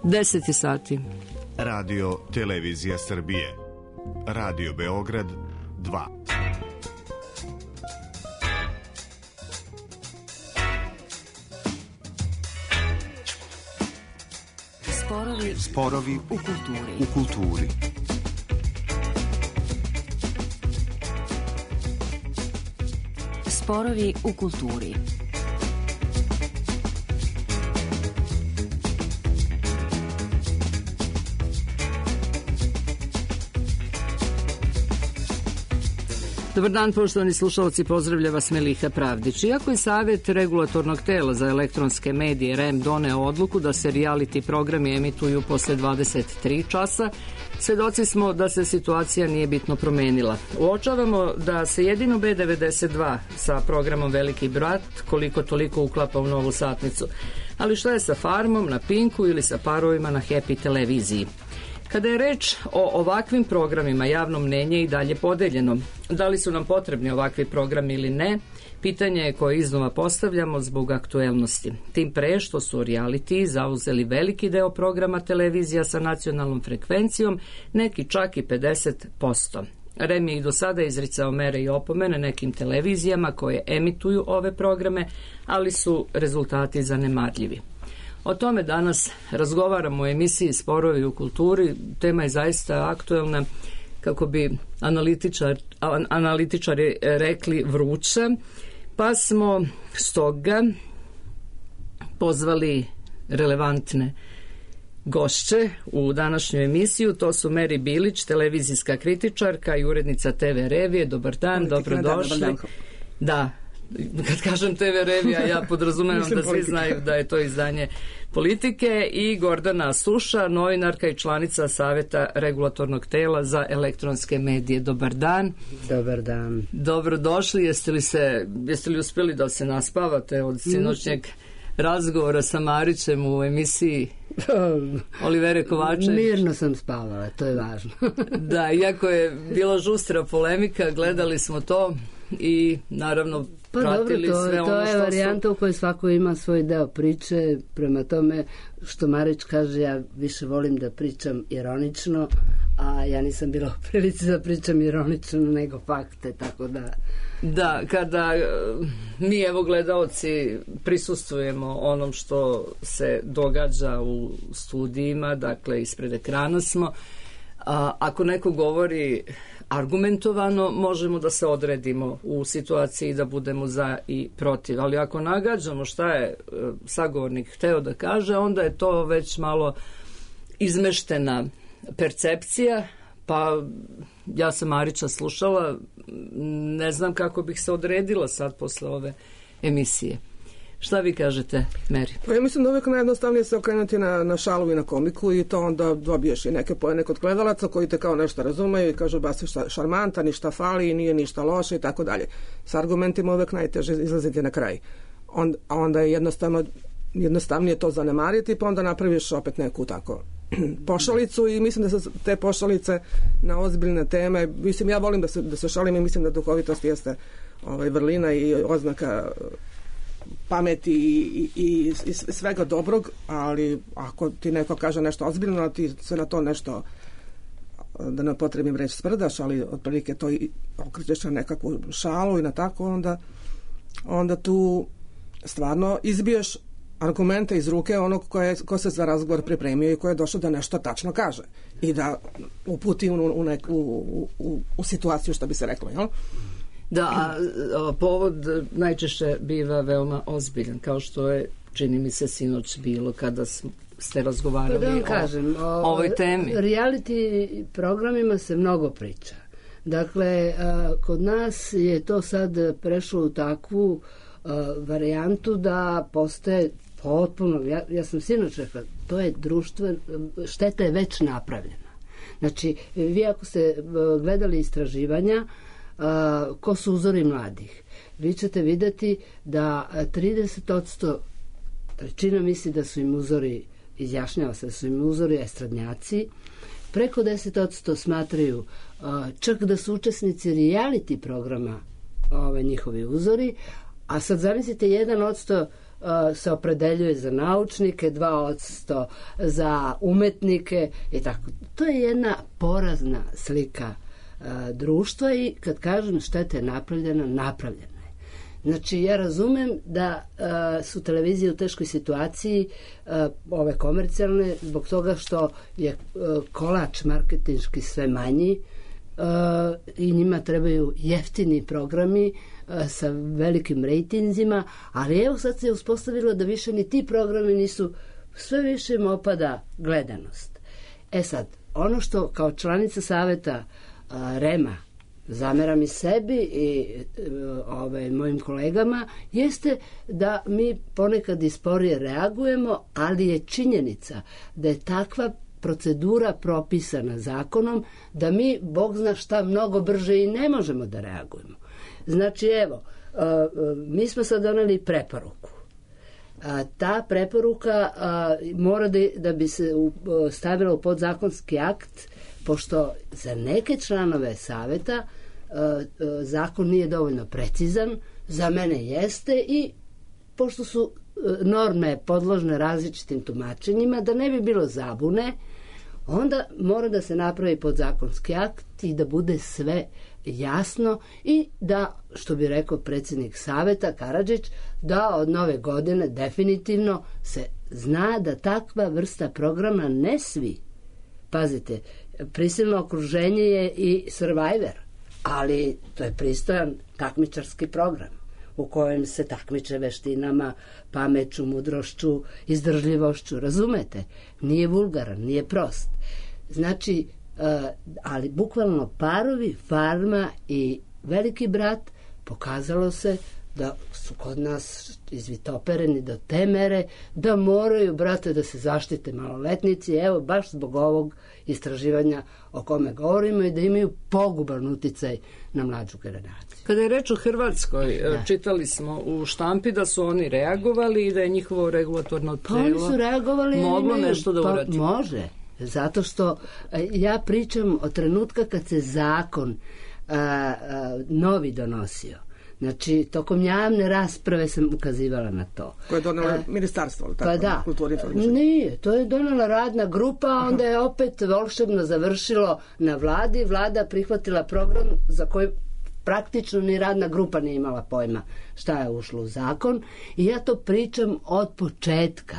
10 sati. Radio Televizija Srbije. Radio Beograd 2. Sporovi u kulturi. Sporovi u kulturi. Dobar dan, poštovani slušalci, pozdravlja vas Meliha Pravdić. Iako je Savet regulatornog tela za elektronske medije REM doneo odluku da se reality programi emituju posle 23 časa, svedoci smo da se situacija nije bitno promenila. Uočavamo da se jedino B92 sa programom Veliki brat koliko toliko uklapa u novu satnicu. Ali šta je sa Farmom na Pinku ili sa Parovima na Happy televiziji? Kada je reč o ovakvim programima, javno mnenje je i dalje podeljeno. Da li su nam potrebni ovakvi programi ili ne, pitanje je koje iznova postavljamo zbog aktuelnosti. Tim pre što su reality zauzeli veliki deo programa televizija sa nacionalnom frekvencijom, neki čak i 50%. REM je i do sada izricao mere i opomene nekim televizijama koje emituju ove programe, ali su rezultati zanemarljivi. O tome danas razgovaramo u emisiji Sporovi u kulturi. Tema je zaista aktuelna, kako bi analitičari rekli, vruća, pa smo stoga pozvali relevantne gošće u današnju emisiju. To su Meri Bilić, televizijska kritičarka i urednica TV Revije. Dobar dan, dobrodošli. Da, kad kažem TV Revija, ja podrazumevam da svi znaju da je to izdanje Politike, i Gordana Suša, novinarka i članica Saveta regulatornog tela za elektronske medije. Dobar dan. Dobar dan. Dobrodošli. Jeste li uspjeli da se naspavate od sinoćnjeg razgovora sa Marićem u emisiji Olivere Kovačević? Mirno sam spavala, to je važno. Da, iako je bila žustra polemika, gledali smo to i naravno pratili sve ono što su... To je varijanta u kojoj svako ima svoj deo priče, prema tome što Marić kaže, ja više volim da pričam ironično, a ja nisam bila u prilici da pričam ironično nego fakte, tako da... Da, kada mi, evo, gledaoci, prisustvujemo onom što se događa u studijima, dakle ispred ekrana smo, ako neko govori argumentovano, možemo da se odredimo u situaciji da budemo za i protiv, ali ako nagađamo šta je sagovornik hteo da kaže, onda je to već malo izmeštena percepcija. Pa ja sam Marića slušala, ne znam kako bih se odredila sad posle ove emisije. Šta vi kažete, Meri? Pa ja mislim da uvijek najjednostavnije se okrenuti na šalu i na komiku, i to onda dobiješ i neke poene kod gledalaca koji te kao nešto razumeju i kažu ba si šarmantan, ništa fali i nije ništa loše i tako dalje. S argumentima uvijek najteže izlaziti na kraj. Onda je jednostavnije to zanemariti, pa onda napraviš opet neku tako pošalicu, i mislim da se te pošalice na ozbiljne teme, mislim, ja volim da se šalim i mislim da duhovitost jeste vrlina i oznaka pameti i svega dobrog, ali ako ti neko kaže nešto ozbiljno, a ti se na to nešto, da ne potrebim reći, sprdaš, ali otprilike to i okrećeš na nekakvu šalu i na tako, onda tu stvarno izbiješ argumente iz ruke onog ko se za razgovor pripremio i ko je došao da nešto tačno kaže i da uputi u situaciju, što bi se reklo, jel? Da, povod najčešće biva veoma ozbiljan, kao što je, čini mi se, sinoć bilo kada ste razgovarali o ovoj temi. Reality programima se mnogo priča. Dakle, kod nas je to sad prešlo u takvu varijantu da postaje potpuno, ja sam sinoć rekla, to je društvo, šteta je već napravljena. Znači, vi ako ste gledali istraživanja ko su uzori mladih, vi ćete vidjeti da 30%, trećina misli da su im uzori, izjašnjava se da su im uzori estradnjaci, preko 10% smatraju čak da su učesnici reality programa njihovi uzori, a sad zamislite 1% se opredeljuje za naučnike, 2% za umetnike i tako. To je jedna porazna slika društva i kad kažem šteta je napravljena je. Znači, ja razumem da su televizije u teškoj situaciji, ove komercijalne, zbog toga što je kolač marketinški sve manji i njima trebaju jeftini programi sa velikim rejtinzima, ali evo sad se je uspostavilo da više ni ti programi nisu, sve više im opada gledanost. Sad, ono što kao članica saveta REM-a zameram i sebi i mojim kolegama jeste da mi ponekad i sporije reagujemo, ali je činjenica da je takva procedura propisana zakonom da mi, Bog zna šta, mnogo brže i ne možemo da reagujemo. Znači, evo, mi smo sad doneli preporuku. Ta preporuka mora da bi se stavila u podzakonski akt, pošto za neke članove saveta zakon nije dovoljno precizan, za mene jeste, i pošto su norme podložne različitim tumačenjima, da ne bi bilo zabune, onda mora da se napravi podzakonski akt i da bude sve jasno i da, što bi rekao predsjednik saveta Karadžić, da od nove godine definitivno se zna da takva vrsta programa ne svi. Pazite, prisilno okruženje je i Survivor, ali to je pristojan takmičarski program u kojem se takmiče veštinama, pameću, mudrošću, izdržljivošću, razumete? Nije vulgaran, nije prost. Znači, ali bukvalno Parovi, Farma i Veliki brat pokazalo se da su kod nas izvitopereni do te mere da moraju, brate, da se zaštite maloletnici, evo, baš zbog ovog istraživanja o kome govorimo, i da imaju poguban uticaj na mlađu generaciju. Kada je reč o Hrvatskoj, čitali smo u štampi da su oni reagovali i da je njihovo regulatorno telo oni su reagovali, moglo nešto da uradi. Može, zato što ja pričam o trenutka kad se zakon novi donosio. Znači, tokom javne rasprave sam ukazivala na to. Koje je donela ministarstvo, ali tako? Pa da, kulturi, informišenja. Nije, to je donela radna grupa, a onda je opet volšebno završilo na vladi. Vlada prihvatila program za koji praktično ni radna grupa nije imala pojma šta je ušlo u zakon, i ja to pričam od početka.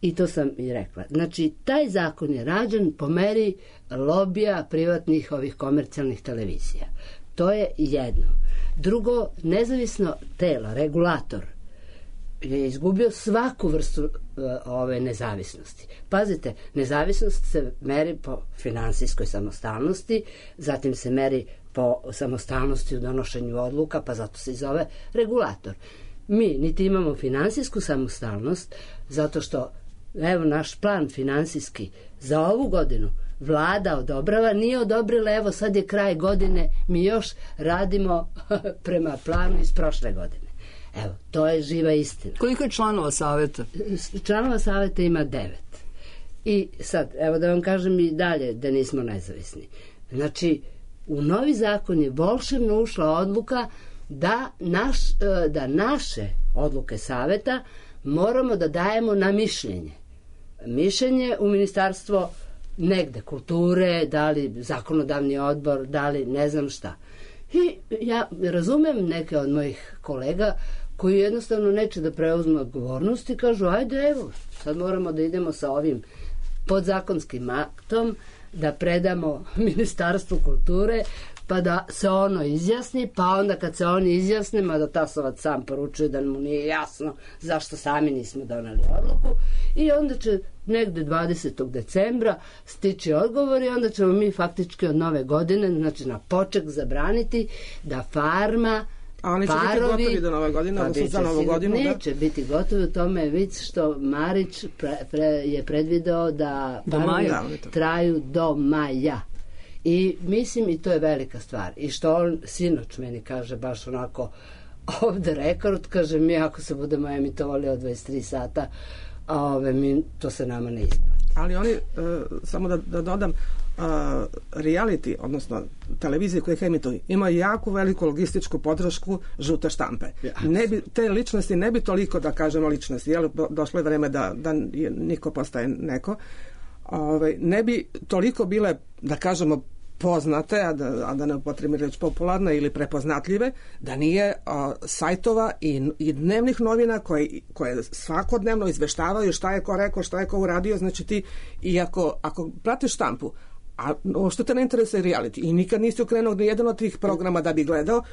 I to sam i rekla. Znači, taj zakon je rađen po meri lobija privatnih ovih komercijalnih televizija. To je jedno. Drugo, nezavisno telo, regulator, je izgubio svaku vrstu ove nezavisnosti. Pazite, nezavisnost se meri po finansijskoj samostalnosti, zatim se meri po samostalnosti u donošenju odluka, pa zato se i zove regulator. Mi niti imamo finansijsku samostalnost, zato što, evo, naš plan finansijski za ovu godinu Vlada odobrava, nije odobrila, evo sad je kraj godine, mi još radimo prema planu iz prošle godine. Evo, to je živa istina. Koliko je članova saveta? Članova saveta ima 9. I sad, evo da vam kažem i dalje da nismo nezavisni. Znači, u novi zakon je volšebno ušla odluka da naše odluke saveta moramo da dajemo na mišljenje. Mišljenje u ministarstvo negde kulture, da li zakonodavni odbor, da li ne znam šta. I ja razumem neke od mojih kolega koji jednostavno neće da preuzmu odgovornost i kažu, ajde, evo, sad moramo da idemo sa ovim podzakonskim aktom, da predamo Ministarstvu kulture, pa da se ono izjasni, pa onda kad se oni izjasne, mada Tasovac sam poručuje da mu nije jasno zašto sami nismo doneli odluku, i onda će negde 20. decembra stići odgovor i onda ćemo mi faktički od nove godine, znači na poček, zabraniti da Farma, a oni će biti gotovi do nove godine, odnosno za novu godinu? Neće biti gotovi, u tome je vic što Marić je predvideo da traju do maja. I mislim, i to je velika stvar. I što on sinoć meni kaže baš onako off the record, kaže, mi ako se budemo emitovali od 23 sata, to se nama ne isplati. Ali oni, samo da dodam, reality, odnosno televizije koje ih emituju, ima jako veliku logističku podršku žute štampe. Te ličnosti ne bi toliko, da kažemo ličnosti, došlo je vreme da niko postaje neko, ne bi toliko bile, da kažemo, poznate, a da ne upotrebim reč popularne ili prepoznatljive, da nije sajtova i dnevnih novina koje svakodnevno izveštavaju šta je ko rekao, šta je ko uradio. Znači ti, i ako pratiš štampu, a što te ne interesuje reality i nikad nisi okrenuo ni jedan od tih programa da bi gledao,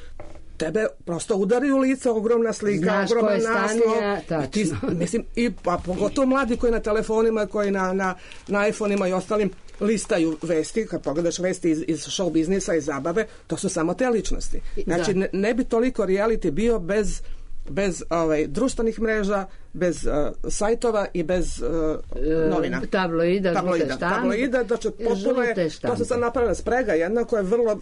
tebe prosto udari u lice ogromna slika, ogroman naslov. Mislim, a pogotovo mladi koji na telefonima, koji na iPhone-ima i ostalim listaju vesti, kad pogledaš vesti iz show biznisa i zabave, to su samo te ličnosti. Znači, ne bi toliko reality bio bez društvenih mreža, bez sajtova i bez novina. Tabloida, da će potpuno je, to se sad napravila sprega jedna koja je vrlo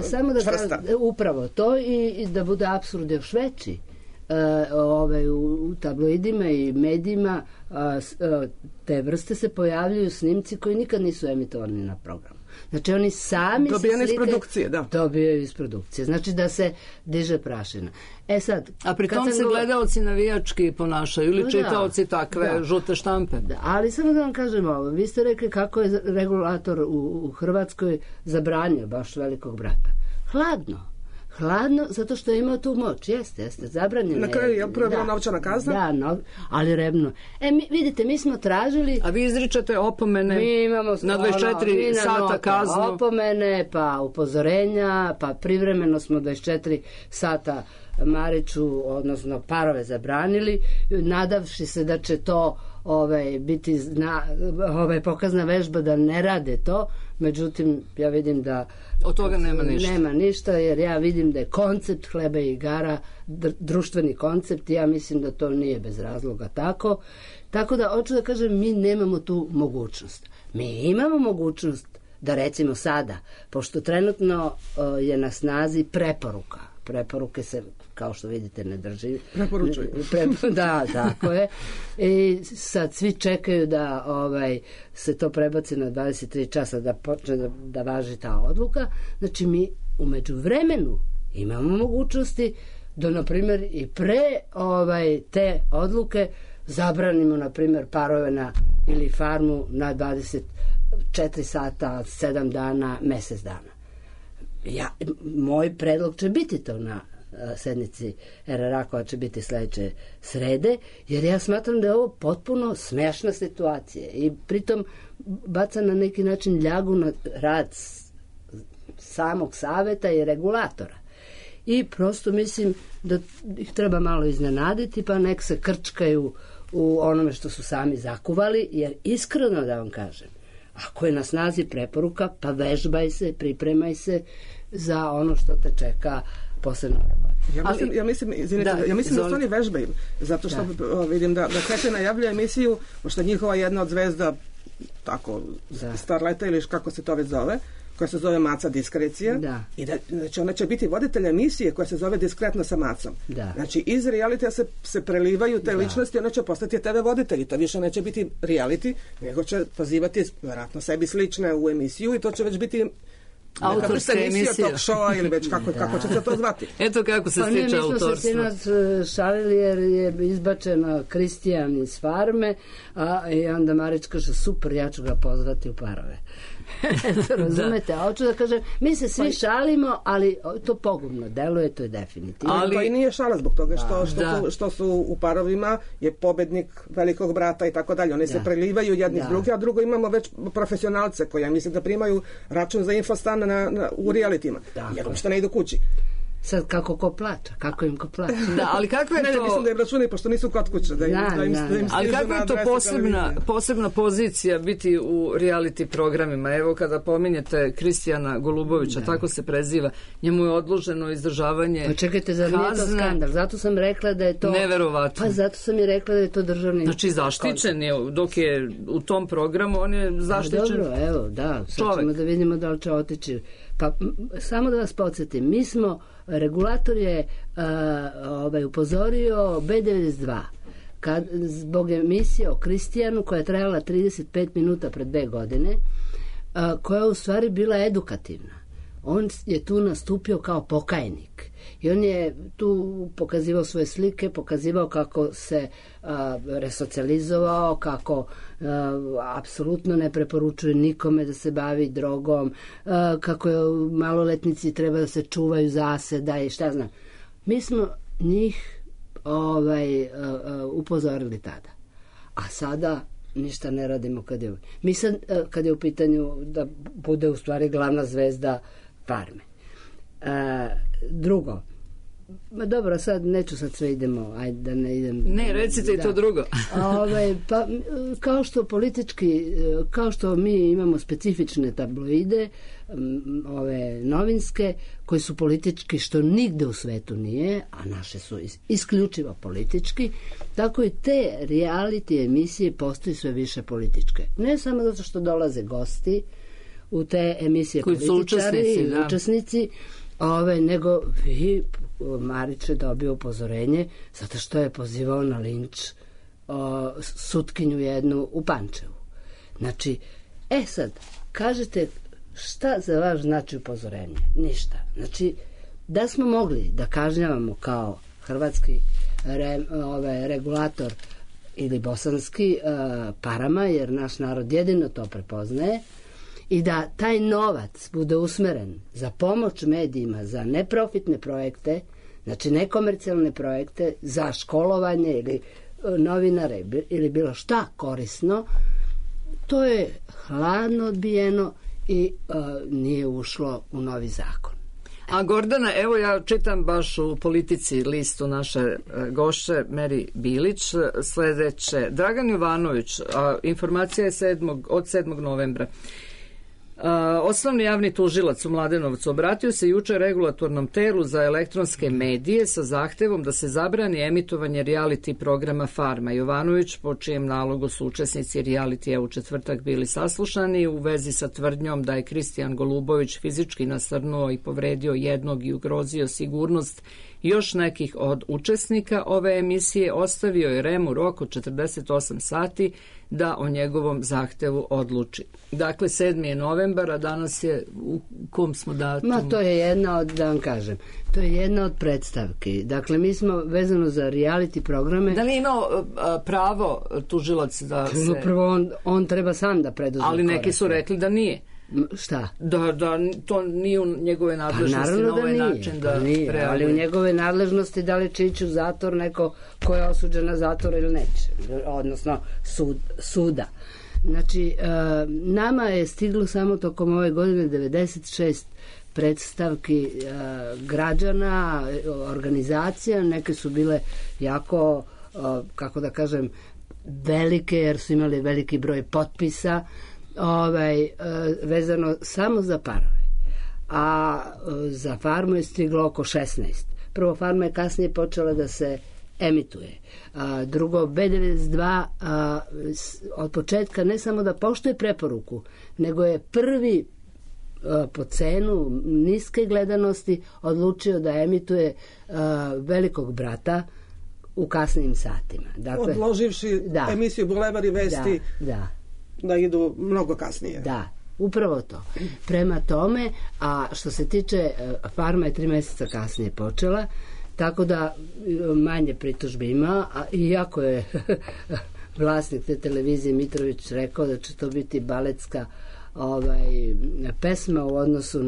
samo da čvrsta. Upravo to i da bude apsurd još veći. U tabloidima i medijima te vrste se pojavljuju snimci koji nikad nisu emitovani na programu. Znači oni sami dobijaju iz produkcije, da. Dobijaju iz produkcije. Znači da se diže prašina. Sad, a pri tom se gledaoci navijački ponašaju ili čitaoci takve žute štampe. Da, ali samo da vam kažem ovo. Vi ste rekli kako je regulator u Hrvatskoj zabranio baš Velikog brata. Hladno, zato što je imao tu moć. Jeste, zabranjeno. Na kraju je prvo novčana kazna? Da, ali rebno. Vidite, mi smo tražili... A vi izričete opomene na 24 sata kaznu? Opomene, pa upozorenja, pa privremeno smo 24 sata Mariću, odnosno parove zabranili, nadavši se da će to biti pokazna vežba da ne rade to. Međutim, ja vidim da od toga nema ništa, jer ja vidim da je koncept hleba i igara društveni koncept i ja mislim da to nije bez razloga tako. Tako da, hoću da kažem, mi nemamo tu mogućnost. Mi imamo mogućnost da recimo sada, pošto trenutno je na snazi preporuka. Preporuke se, kao što vidite, ne drži. Preporučuju. Da, tako je. I sad svi čekaju da se to prebaci na 23 časa, da počne da važi ta odluka. Znači, mi u međuvremenu imamo mogućnosti da, na primjer, i pre te odluke zabranimo, na primjer, parove ili farmu na 24 sata, 7 dana, mesec dana. Moj predlog će biti to na sednici RRA koja će biti sledeće srede, jer ja smatram da je ovo potpuno smešna situacija i pritom baca na neki način ljagu na rad samog saveta i regulatora. I prosto mislim da ih treba malo iznenaditi, pa nek se krčkaju u onome što su sami zakuvali, jer iskreno da vam kažem, ako je na snazi preporuka, pa vežbaj se, pripremaj se za ono što te čeka posle nove. Ja mislim da su oni vežbaju, zato što vidim da Kete najavljuje emisiju, pošto je njihova jedna od zvezda, tako, Starleta ili kako se to već zove, koja se zove Maca Diskrecija, i znači ona će biti voditelj emisije koja se zove Diskretno sa Macom. Znači iz realitija se prelivaju te ličnosti, ona će postati TV voditelji, to više neće biti reality, nego će pozivati vjerojatno sebi slične u emisiju i to će već biti autorska emisija talk showa ili već kako će se to zvati. Eto kako se stiče autorstvo. Mi smo se sinoć šalili jer je izbačeno Kristijan iz farme, i onda Marić kaže super, ja ću ga pozvati u parove. Razumete, a hoću da kažem, mi se svi šalimo, ali to pogubno deluje, to je definitivno. Ali to i nije šala zbog toga što su u parovima je pobednik Velikog brata i tako dalje. Oni se prelivaju jedni s drugi, a drugo imamo već profesionalce koji ja mislim da primaju račun za infostan u realitima, jer uopšte ne idu kući. Sad kako ko plaća, kako im ko plaća. Da, ali kako je to... Ne, mislim da je računi, pošto nisu kod kuće. Ali kako je to posebna pozicija biti u reality programima? Evo kada pominjete Kristijana Golubovića, tako se preziva, njemu je odloženo izdržavanje. Pa čekajte, zar nije to skandal? Zato sam rekla da je to... Neverovatno. Pa zato sam i rekla da je to državni... Znači zaštićen je, dok je u tom programu, on je zaštićen čovek. Dobro, evo, da, sad ćemo da vidimo da li će otići. Pa samo da vas podsjetim, mi smo, regulator je upozorio B92 zbog emisije o Kristijanu koja je trajala 35 minuta pred 2 godine, koja je u stvari bila edukativna. On je tu nastupio kao pokajnik i on je tu pokazivao svoje slike, pokazivao kako se resocijalizovao, kako apsolutno ne preporučuje nikome da se bavi drogom, kako maloletnici treba da se čuvaju zaseda i šta znam. Mi smo njih upozorili tada. A sada ništa ne radimo kad je u pitanju da bude u stvari glavna zvezda Farme. Drugo, dobro, sad neću sve idemo, ajde da ne idem. Ne, recite i to drugo. Pa, kao što mi imamo specifične tabloide, ove novinske, koji su politički, što nigde u svetu nije, a naše su isključivo politički, tako i te reality emisije postaju sve više političke. Ne samo zato što dolaze gosti u te emisije, političari, učesnici, nego Marić je dobio upozorenje zato što je pozivao na linč sutkinju jednu u Pančevu. Znači, sad, kažete šta za vas znači upozorenje? Ništa. Znači, da smo mogli da kažnjavamo kao hrvatski regulator ili bosanski parama, jer naš narod jedino to prepoznaje, i da taj novac bude usmeren za pomoć medijima, za neprofitne projekte, znači nekomercijalne projekte, za školovanje ili novinare ili bilo šta korisno, to je hladno odbijeno i nije ušlo u novi zakon. A Gordana, evo ja čitam baš u Politici listu naše gošće Meri Bilić sledeće. Dragan Jovanović, informacija je od 7. novembra. Osnovni javni tužilac u Mladenovcu obratio se juče regulatornom telu za elektronske medije sa zahtevom da se zabrani emitovanje reality programa Farma. Jovanović, po čijem nalogu su učesnici realitija u četvrtak bili saslušani u vezi sa tvrdnjom da je Kristijan Golubović fizički nasrnuo i povredio jednog i ugrozio sigurnost još nekih od učesnika ove emisije, ostavio je REM-u rok od 48 sati da o njegovom zahtevu odluči. Dakle, 7. je novembar, a danas je u kom smo datumu? To je jedna od, da vam kažem, to je jedna od predstavki. Dakle, mi smo vezano za reality programe. Da li je imao pravo tužilac da se... Prvo, on treba sam da preduzme. Ali neki su rekli da nije. Šta? Da to nije u njegove nadležnosti na ovaj način da reaguje. Ali u njegove nadležnosti da li će ići u zatvor neko ko je osuđen na zatvor ili neće, odnosno suda. Znači, nama je stiglo samo tokom ove godine 96 predstavki građana, organizacija, neke su bile jako, kako da kažem, velike, jer su imali veliki broj potpisa, vezano samo za parove. A za Farmu je stiglo oko 16. Prvo, Farma je kasnije počela da se emituje. Drugo, B92 od početka ne samo da poštuje preporuku, nego je prvi po cenu niske gledanosti odlučio da emituje Velikog brata u kasnim satima. Dakle, odloživši emisiju Bulevar i vesti da idu mnogo kasnije. Da, upravo to. Prema tome, a što se tiče Farma je 3 mjeseca kasnije počela, tako da manje pritužbi ima, a iako je vlasnik te televizije Mitrović rekao da će to biti baletska pesma u odnosu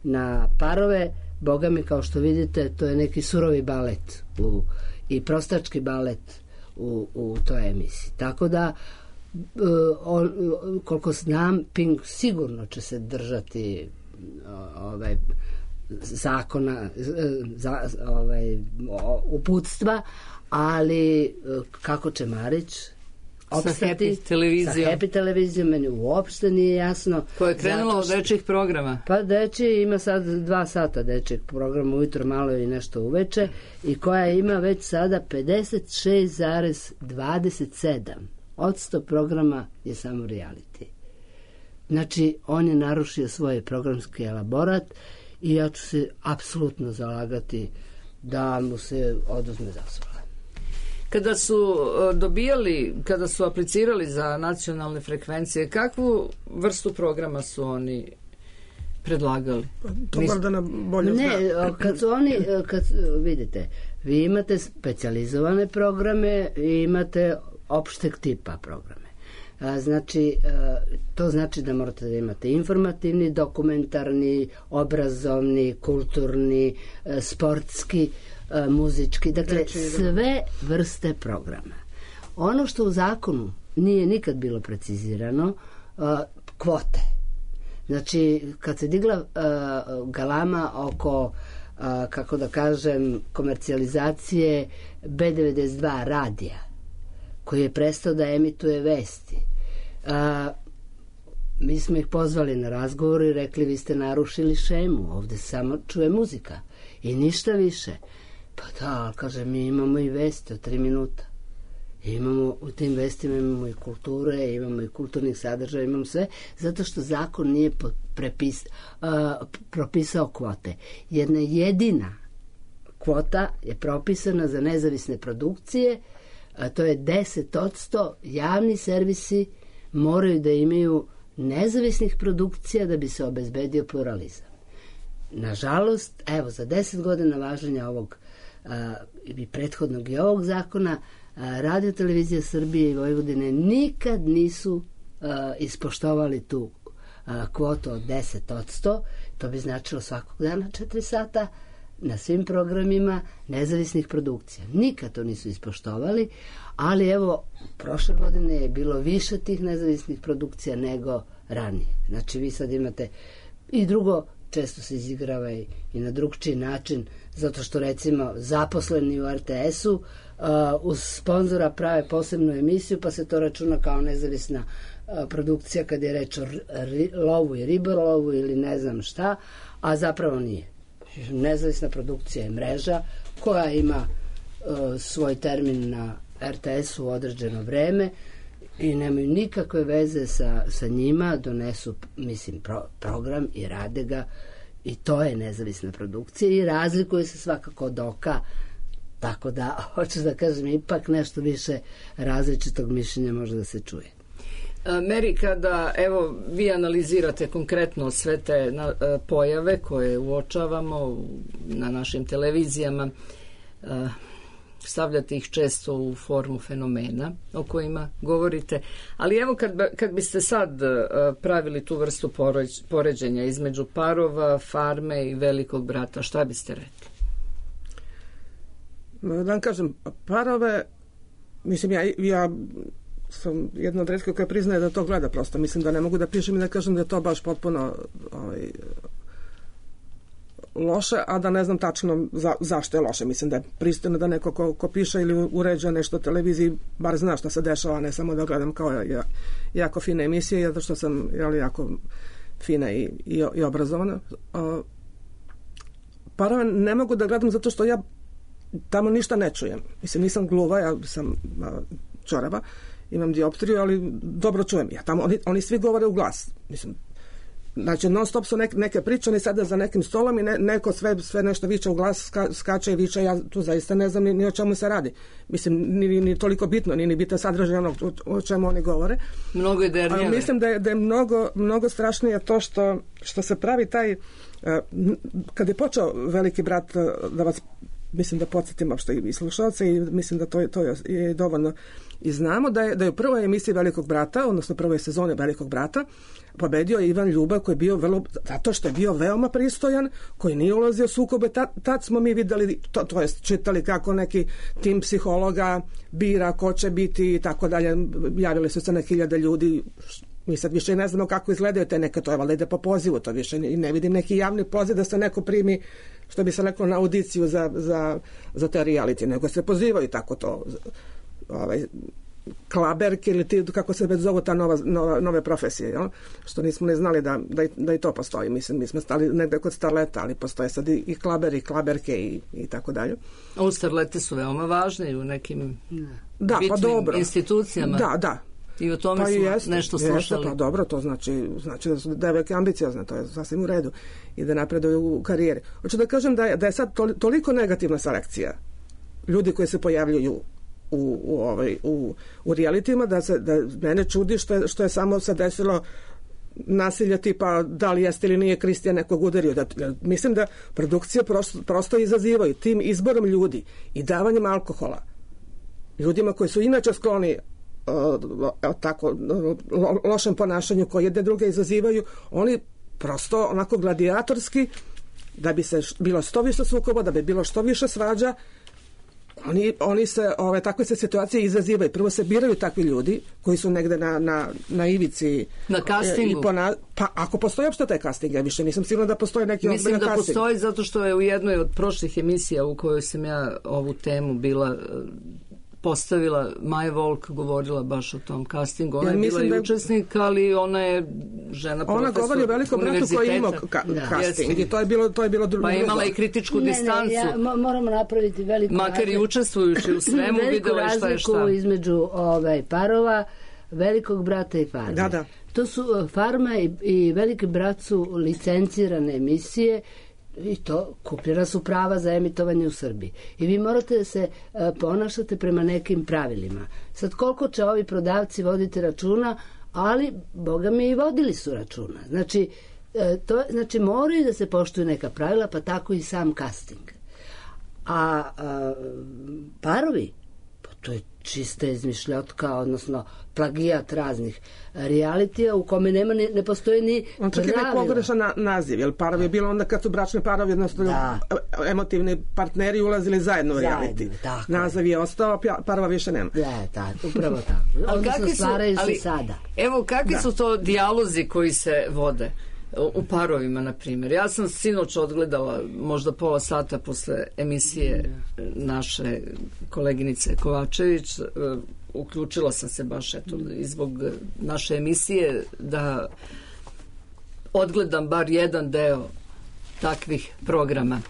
na parove, boga mi, kao što vidite, to je neki surovi balet i prostački balet u toj emisiji. Tako da koliko znam, Pink sigurno će se držati zakona, uputstva, ali kako će Marić opstati sa Happy televizijom, meni uopšte nije jasno. Koja je krenula od dečjih programa? Pa dečji ima sad 2 sata dečjeg programa, ujutro malo i nešto uveče, i koja ima već sada 56,27% programa je samo reality. Znači, on je narušio svoj programski elaborat i ja ću se apsolutno zalagati da mu se oduzme dozvola. Kada su kada su aplicirali za nacionalne frekvencije, kakvu vrstu programa su oni predlagali? To možda na bolje zna. Kad su oni, vidite, vi imate specijalizovane programe i imate opšteg tipa programe. Znači, to znači da morate da imate informativni, dokumentarni, obrazovni, kulturni, sportski, muzički, dakle sve vrste programa. Ono što u zakonu nije nikad bilo precizirano, kvote. Znači, kad se digla galama oko, kako da kažem, komercijalizacije B92 radija, koji je prestao da emituje vesti, mi smo ih pozvali na razgovor i rekli, vi ste narušili šemu, ovde samo čuje muzika i ništa više. Pa da, kaže, mi imamo i vesti od 3 minuta. Imamo, u tim vestima imamo i kulture, imamo i kulturnih sadržaja, imamo sve, zato što zakon nije propisao kvote. Jedna jedina kvota je propisana za nezavisne produkcije, a to je 10%. Javni servisi moraju da imaju nezavisnih produkcija da bi se obezbedio pluralizam. Nažalost, evo, za 10 godina važenja ovog i prethodnog i ovog zakona, Radio Televizija Srbije i Vojvodine nikad nisu ispoštovali tu kvotu od 10%. To bi značilo svakog dana 4 sata na svim programima nezavisnih produkcija. Nikad to nisu ispoštovali, ali evo, prošle godine je bilo više tih nezavisnih produkcija nego ranije. Znači, vi sad imate i drugo, često se izigrava i na drugčiji način, zato što, recimo, zaposleni u RTS-u uz sponzora prave posebnu emisiju, pa se to računa kao nezavisna produkcija kad je reč o lovu i ribolovu ili ne znam šta, a zapravo nije. Nezavisna produkcija je mreža koja ima svoj termin na RTS-u u određeno vreme i nemaju nikakve veze sa njima, donesu, mislim, program i rade ga, i to je nezavisna produkcija i razlikuje se svakako od oka, tako da, hoću da kažem, ipak nešto više različitog mišljenja može da se čuje. Meri, kada, evo, vi analizirate konkretno sve te pojave koje uočavamo na našim televizijama, stavljate ih često u formu fenomena o kojima govorite, ali evo kad biste sad pravili tu vrstu poređenja između Parova, Farme i Velikog brata, šta biste rekli? Da vam kažem, Parove, mislim, ja sam jedna od retkih koja priznaje da to gleda, prosto mislim da ne mogu da pišem i da kažem da je to baš potpuno loše, a da ne znam tačno zašto je loše. Mislim da je pristojno da neko ko piše ili uređuje nešto na televiziji bar zna šta se dešava, ne samo da gledam kao jako fine emisije, zato što sam jako fina i obrazovana. Parove ne mogu da gledam zato što ja tamo ništa ne čujem. Mislim, nisam gluva, ja sam čorava, imam dioptriju, ali dobro čujem. Ja tamo, oni svi govore u glas. Mislim, znači, non stop su neke priče, oni sada za nekim stolom i neko sve nešto viče u glas, skače i viče, ja tu zaista ne znam ni o čemu se radi. Mislim, ni toliko bitno, ni bitan sadržaj onog o čemu oni govore. Mnogo je dernjave. Mislim da je mnogo strašnije to što se pravi taj, kad je počeo Veliki brat, da vas, mislim da podsjetim uopšte i slušalce, i mislim da to je dovoljno i znamo da je u prvoj emisiji Velikog brata, odnosno prvoj sezoni Velikog brata, pobedio Ivan Ljubav, koji je bio zato što je bio veoma pristojan, koji nije ulazio u sukobe. Tad smo mi videli, to jest čitali kako neki tim psihologa bira ko će biti i tako dalje. Javili su se na 1000 ljudi. Mi sad više ne znamo kako izgledaju te neke, to je valjda ide po pozivu, to više i ne vidim neki javni poziv da se neko primi, što bi se reklo, na audiciju za te reality, nego se pozivaju tako to, klaberke ili ti, kako se već zovu ta nove profesije, jel? Što nismo ne znali da i to postoji. Mislim, mi smo stali negde kod starleta, ali postoje sad i klaberi, klaberke i tako dalje. O, starlete su veoma važne u nekim bitnim institucijama. Da. I o tome smo nešto slušali. Pa dobro, to znači da su devojke ambiciozne, to je sasvim u redu i da napreduju u karijeri. Hoću da kažem da je sad toliko negativna selekcija ljudi koji se pojavljuju u realitijima, da mene čudi što je samo se desilo nasilja tipa da li jeste ili nije Kristijan nekog udario. Mislim da produkcije prosto izazivaju tim izborom ljudi i davanjem alkohola ljudima koji su inače skloni tako lošem ponašanju, koji jedne druge izazivaju, oni prosto onako gladijatorski, da bi se bilo što više sukoba, da bi bilo što više svađa, oni se takve se situacije izazivaju. Prvo se biraju takvi ljudi koji su negde na ivici, na castingu. Pa ako postoji uopšte taj casting, ja više nisam sigurna da postoji neki ozbiljan casting. Mislim da postoji, zato što je u jednoj od prošlih emisija u kojoj sam ja ovu temu bila postavila, Maja Volk govorila baš o tom castingu. Ona je bila i učesnik, ali ona je žena profesor. Ona govori o velikom bratu koji je imao casting i to je bilo drugo. Pa imala i kritičku distancu. Moramo napraviti veliku makar i učestvujući u svemu, videla je šta je šta. Veliku razliku između parova, velikog brata i farme. Da. To su Farma i Veliki brat su licencirane emisije i to kupljena su prava za emitovanje u Srbiji. I vi morate da se ponašate prema nekim pravilima. Sad koliko će ovi prodavci voditi računa, ali boga mi i vodili su računa. Znači moraju da se poštuju neka pravila, pa tako i sam casting. A parovi, pa to je čista izmišljotka, odnosno plagijat raznih realitija u kome ne postoji ni pravila. On čak je nek pogrešan naziv, jer parovi je bilo onda kad su bračni parovi, odnosno emotivni partneri ulazili zajedno u reality. Naziv je ostao, parova više nema. Upravo tako. Odnosno stvaraju se sada. Evo, kakvi su to dijalozi koji se vode u parovima, na primjer? Ja sam sinoć odgledala možda pola sata posle emisije naše koleginice Kovačević. Uključila sam se baš i zbog naše emisije da odgledam bar jedan deo takvih programa.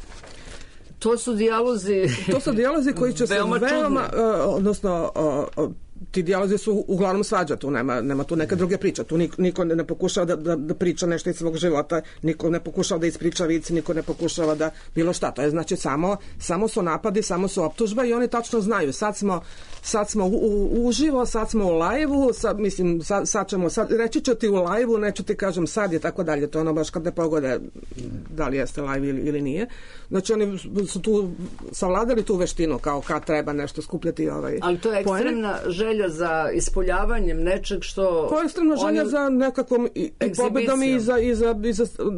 To su dijalozi koji će se veoma odnosno ti dijalozi su uglavnom svađa, tu nema tu neke druge priče, tu niko ne pokušava da priča nešto iz svog života, niko ne pokušava da ispriča vic, niko ne pokušava da bilo šta, to je znači samo su napadi, samo su optužba i oni tačno znaju, sad smo uživo, sad smo u live-u, sad ćemo, reći ću ti u live-u, neću ti kažem sad je tako dalje, to je ono baš kad ne pogode da li jeste live ili nije. Znači oni su tu savladali tu veštinu, kao kad treba nešto skupljati ali to je ekstremna želja za ispoljavanjem nečeg što... To je ekstremna želja za nekakvom i pobedom i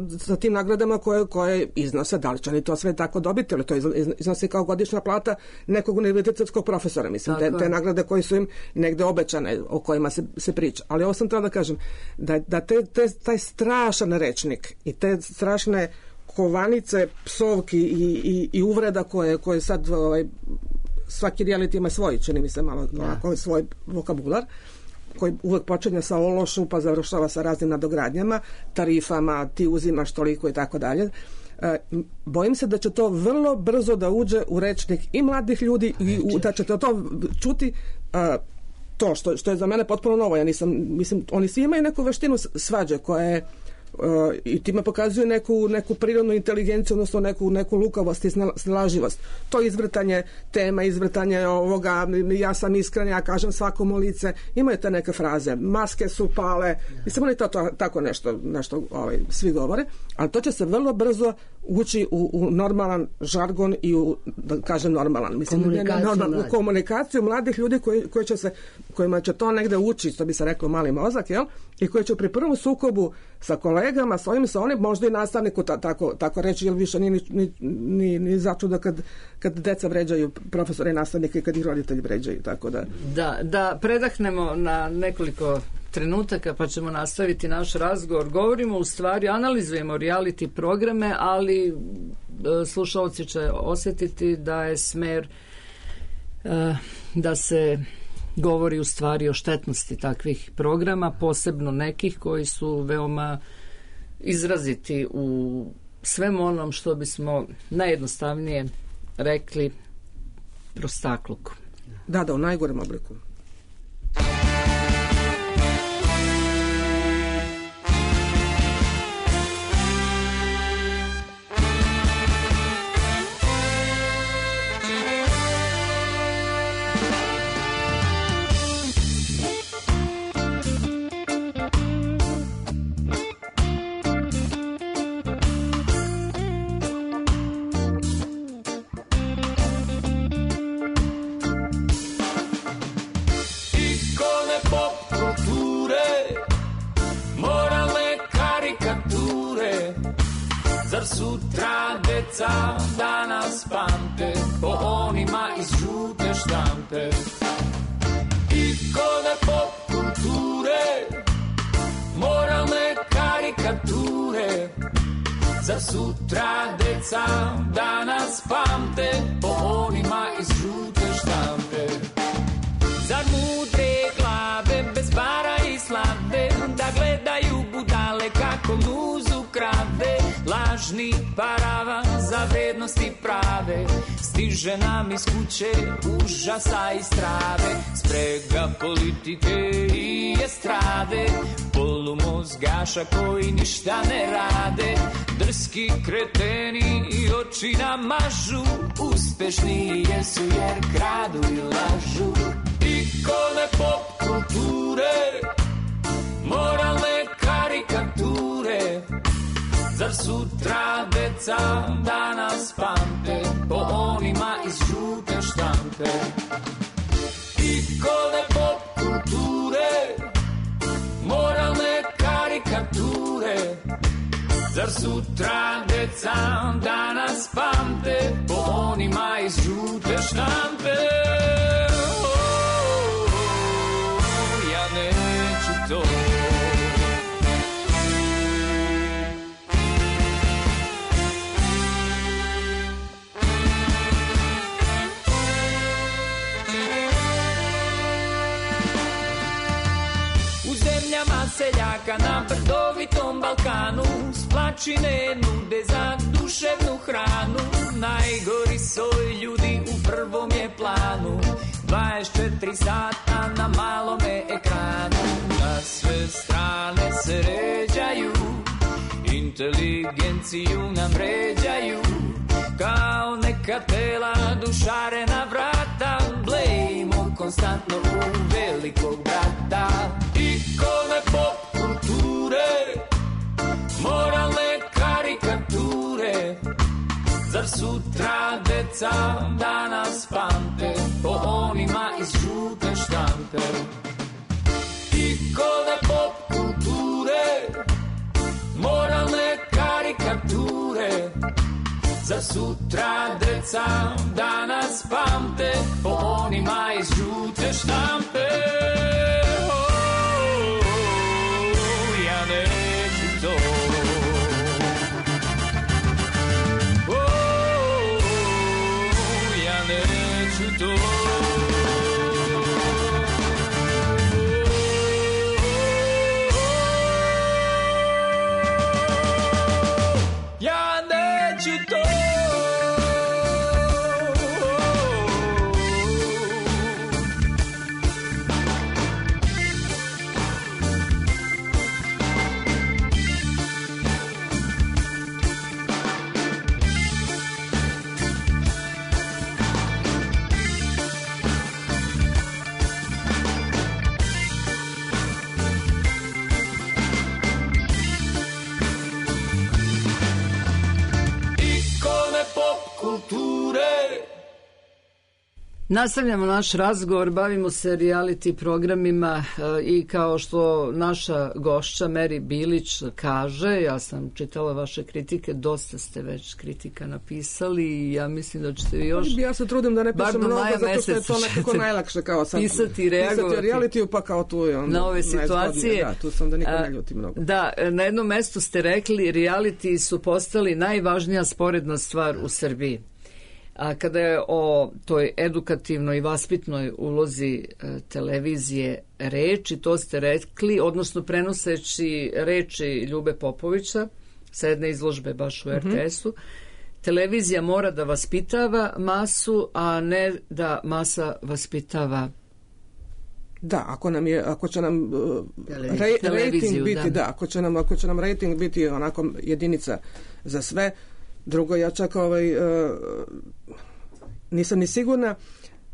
za tim nagradama koje iznose. Da li će oni to sve tako dobiti, ali to iznosi kao godišnja plata nekog univerzitetskog profesora. Mislim, te nagrade koje su im negde obećane, o kojima se priča. Ali ovo sam trebala da kažem, da taj strašan rečnik i te strašne kovanice, psovki i uvreda koje sad svaki reality ima svoj, čini mi se malo svoj vokabular, koji uvek počinje sa ološu pa završava sa raznim nadogradnjama, tarifama, ti uzimaš toliko i tako dalje. Bojim se da će to vrlo brzo da uđe u rečnik i mladih ljudi i da ćete to čuti. To što je za mene potpuno novo. Ja mislim, oni svi imaju neku veštinu svađe koja je i time pokazuju neku prirodnu inteligenciju, odnosno neku lukavost i snalažljivost. To izvrtanje tema, izvrtanje ovoga, ja sam iskren, ja kažem svakom u lice, imaju te neke fraze, maske su pale, mislim, oni tako nešto svi govore, ali to će se vrlo brzo ući u normalan žargon i da kažem normalan, mislim, u komunikaciju mladih ljudi kojima će to negde ući, što bi se reklo mali mozak, jel? I koji će pri prvom sukobu sa kolegama, sa onim, možda i nastavniku tako reći, jer više ni začuda kad deca vređaju profesore i nastavnike i kad ih roditelji vređaju, tako da... Da predahnemo na nekoliko trenutaka pa ćemo nastaviti naš razgovor. Govorimo, u stvari, analizujemo reality programe, ali slušalci će osjetiti da je smer da se govori u stvari o štetnosti takvih programa, posebno nekih koji su veoma izraziti u svem onom što bismo najjednostavnije rekli prostakluku. Da, u najgorem obliku. Zar sutra deca danas pamte po onima iz žute štampe? Ikone pop kulture, moralne karikature. Zar sutra deca danas pamte po onima iz žute štampe? Zar mudre glave bez para i slave da gledaju budale kako muzu krade? Lažni paravan za vrednosti prave stiže nam iz kuće užasa i strave. Sprega politike i estrade, polumozgaša koji ništa ne rade. Drski kreteni i oči nam mažu, uspešni jesu jer kradu i lažu. Ikone pop kulture, moralne karikature. Zar sutra deca danas pamte po onima iz žute štampe? Ikone pop kulture, moralne karikature. Zar sutra deca danas pamte po onima iz žute štampe? Ja neću to. Seljaka na brdovitom Balkanu s plačine nude za duševnu hranu. Najgori soj ljudi u prvom je planu, 24 sata na malome ekranu. Na sve strane se ređaju, inteligenciju nam ređaju. Kao neka tela dušarena vrata, blejimo konstantno u velikog brata. Ikone pop kulture, moralne karikature. Zar sutra deca danas pamte po onima iz žute štampe? Ikone pop kulture, moralne karikature. Zar sutra deca danas pamte po onima iz žute štampe? Ja neću to. Ja neću to. Ja neću to. Nastavljamo naš razgovor, bavimo se reality programima i kao što naša gošća Meri Bilić kaže, ja sam čitala vaše kritike, dosta ste već kritika napisali i ja mislim da ćete vi još... Ja se trudim da ne pišem mnogo, zato što je to nekako najlakše kao sad. Pisati i reagovati. Pisati reality, pa kao tu je onda na ove situacije. Da, tu sam da niko ne ljuti mnogo. Da, na jednom mestu ste rekli, reality su postali najvažnija sporedna stvar u Srbiji. A kada je o toj edukativnoj i vaspitnoj ulozi televizije reči, to ste rekli, odnosno prenoseći reči Ljube Popovića sa jedne izložbe baš u RTS-u, televizija mora da vaspitava masu, a ne da masa vaspitava. Da, ako će nam rating biti, da, ako će nam rating biti onako jedinica za sve. Drugo, ja čak nisam ni sigurna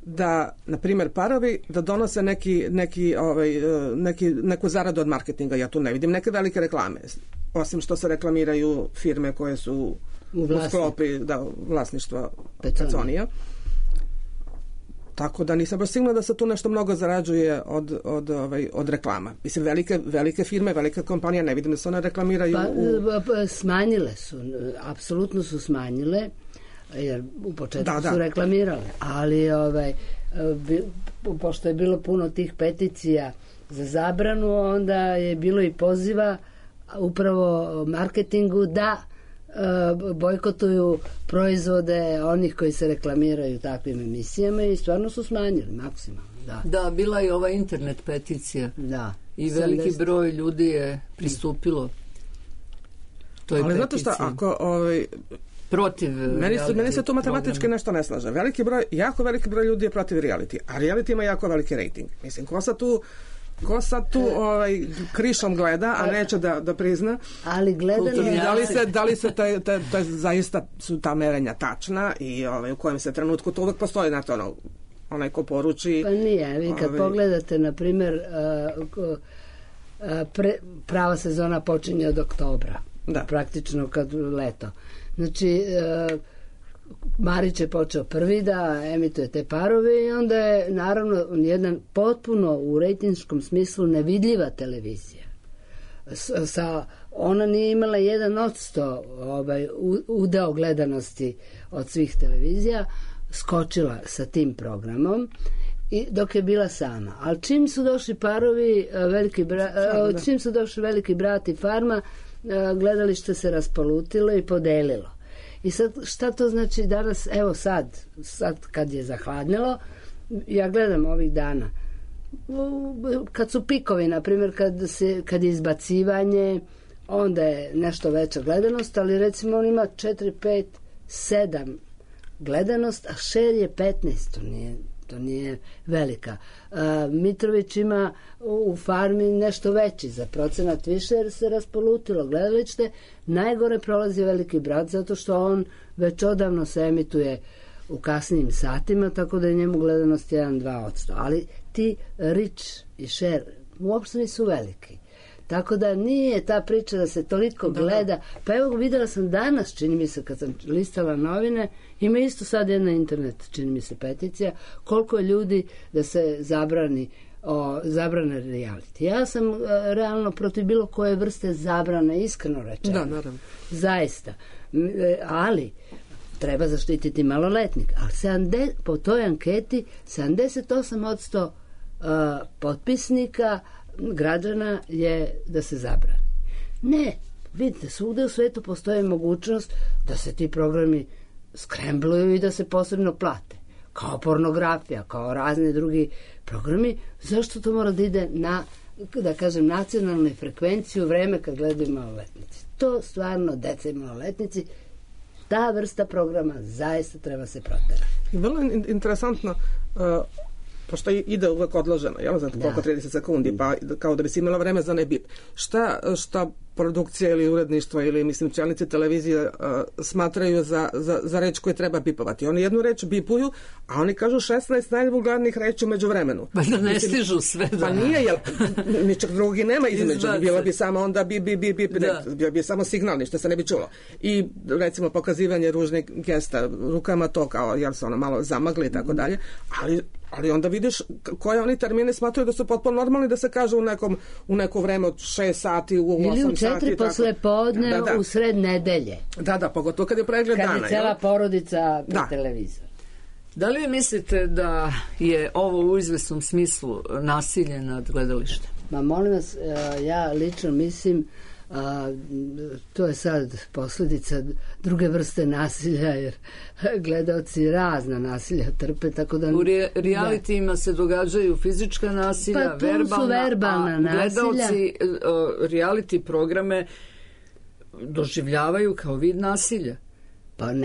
da, na primjer, parovi da donose neku zaradu od marketinga. Ja tu ne vidim neke velike reklame. Osim što se reklamiraju firme koje su u sklopi vlasništva Peconija. Tako da nisam baš sigurna da se tu nešto mnogo zarađuje od reklama. Mislim, velike firme, velike kompanije, ne vidim da se one reklamiraju. Smanjile su, apsolutno su smanjile, jer u početku su reklamirale, ali pošto je bilo puno tih peticija za zabranu, onda je bilo i poziva upravo marketingu da bojkotuju proizvode onih koji se reklamiraju takvim emisijama i stvarno su smanjili maksimalno. Da, bila je ova internet peticija. Da. I veliki broj ljudi je pristupilo toj peticiji. Ali znate šta, ako protiv meni se tu matematički nešto ne slaže. Jako veliki broj ljudi je protiv reality, a reality ima jako veliki rating. Mislim, ko sad tu krišom gleda, a neće da prizna. Ali gledanje... Da li se zaista su ta merenja tačna i u kojem se trenutku to uvek postoji, znate, onaj ko poruči... Pa nije, vi kad pogledate, na primjer, prava sezona počinje od oktobra. Da. Praktično kad leto. Znači, Marić je počeo prvi da emituje te parove i onda je naravno jedan potpuno u rejtinškom smislu nevidljiva televizija. Ona nije imala 1% udeo gledanosti od svih televizija, skočila sa tim programom i dok je bila sama. Ali čim su došli parovi, čim su došli Veliki brat i Farma, gledalište se raspolutilo i podelilo. I sad, šta to znači danas, evo sad kad je zahladnilo, ja gledam ovih dana, kad su pikovi, na primjer, kad je izbacivanje, onda je nešto veća gledanost, ali recimo on ima 4, 5, 7 gledanost, a share je 15, to nije velika. Mitrović ima u Farmi nešto veći, za procenat više, jer se raspolutilo gledalište. Najgore prolazi Veliki brat, zato što on već odavno se emituje u kasnijim satima, tako da je njemu gledanost 1-2%. Ali ti reach i share uopšte nisu veliki. Tako da nije ta priča da se toliko gleda. Pa evo, videla sam danas, čini mi se, kad sam listala novine, ima isto sad jedna internet, čini mi se, peticija, koliko je ljudi da se zabrane reality. Ja sam realno protiv bilo koje vrste zabrane, iskreno rečeno. Da, naravno. Zaista. Ali treba zaštititi maloletnik. Ali po toj anketi 78% potpisnika građana je da se zabrani. Ne, vidite, svugde u svetu postoji mogućnost da se ti programi skrembluju i da se posebno plate. Kao pornografija, kao razni drugi programi. Zašto to mora da ide na, da kažem, nacionalnoj frekvenciji u vreme kad gledaju maloletnici? To stvarno, deca i maloletnici, ta vrsta programa zaista treba se proterati. Vrlo interesantno, pošto ide uvek odloženo, jel, znate koliko 30 sekundi, pa kao da bi si imala vreme za ne bip. Šta produkcija ili uredništvo ili, mislim, čelnici televizije smatraju za reč koju treba bipovati? Oni jednu reč bipuju, a oni kažu 16 najvulgarnijih reči umeđu vremenu. Pa da ne stižu sve. Pa nije, jel, ničeg drugi nema između. Bilo bi samo onda bip, bio bi samo signal, ništa se ne bi čulo. I, recimo, pokazivanje ružnih gesta rukama, to kao, jel se ono malo zamagli i tako dalje, ali onda vidiš koje oni termine smatruju da su potpuno normalni da se kaže u neko vreme od 6 sati, u 8 sati. Ili u 4 posle podne, u sred nedelje. Da, pogotovo kad je pregled dana. Kad je cela porodica na televizoru. Da li vi mislite da je ovo u izvesnom smislu nasilje nad gledalištem? Ma molim vas, ja lično mislim, to je sad posljedica druge vrste nasilja, jer gledaoci razna nasilja trpe, tako da... U realitima se događaju fizička nasilja, verbalna nasilja. Gledaoci reality programe doživljavaju kao vid nasilja.